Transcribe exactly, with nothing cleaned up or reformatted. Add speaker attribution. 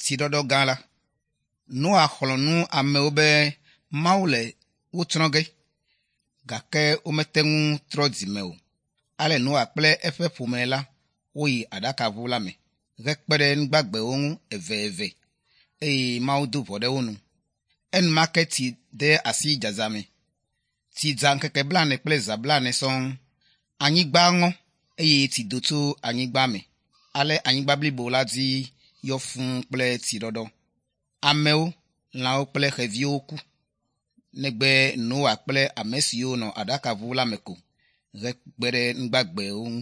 Speaker 1: Tsiɖɔɖɔ gã la. Noa xlɔ̃ nu amewo be Mawu le wo tsrɔ̃ ge gake womete ŋu trɔ dzime o. Ale Noa kple eƒe ƒome la woyi aɖakaʋu la me hekpe ɖe nugbagbewo ŋu eveve eye Mawu do ʋɔ ɖe wo nu. Enumake tsi de asi dzadza me. Tsi dza ŋkeke blaene kple zã blaene sɔŋ. Anyigba ŋɔ eye tsi do tso anyigba me. Ale anyigba blibo la dzi yɔ fũu kple tsiɖɔɖɔ. Amewo, lãwo kple xeviwo ku. Negbe Noa kple ame siwo nɔ aɖakaʋu la me ko hekpe ɖe nugbagbewo ŋu.